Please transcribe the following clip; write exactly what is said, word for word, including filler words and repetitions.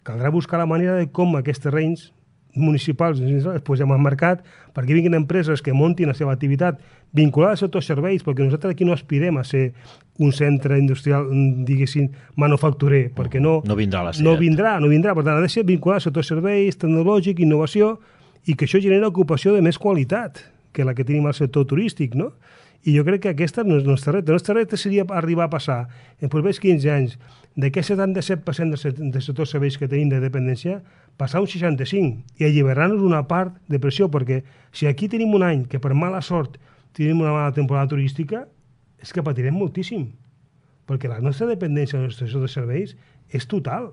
Caldrà buscar la manera de com aquests terrenys municipals es posem al mercat perquè vinguin empreses que muntin la seva activitat vinculada al sector serveis, perquè nosaltres aquí no aspirem a ser un centre industrial, diguéssim, manufacturer, perquè no, no vindrà la no vindrà, no vindrà, per tant ha de ser vinculat al sector serveis, tecnològic, innovació, i que això genera ocupació de més qualitat que la que tenim al sector turístic, no? I jo crec que aquesta no és el nostre repte. El nostre repte seria arribar a passar en els propers quinze anys d'aquest setanta-set per cent del sector serveis que tenim de dependència, passar un seixanta-cinc i alliberar-nos una part de pressió, perquè si aquí tenim un any que per mala sort tenim una mala temporada turística, és que patirem moltíssim, perquè la nostra dependència del sector de serveis és total.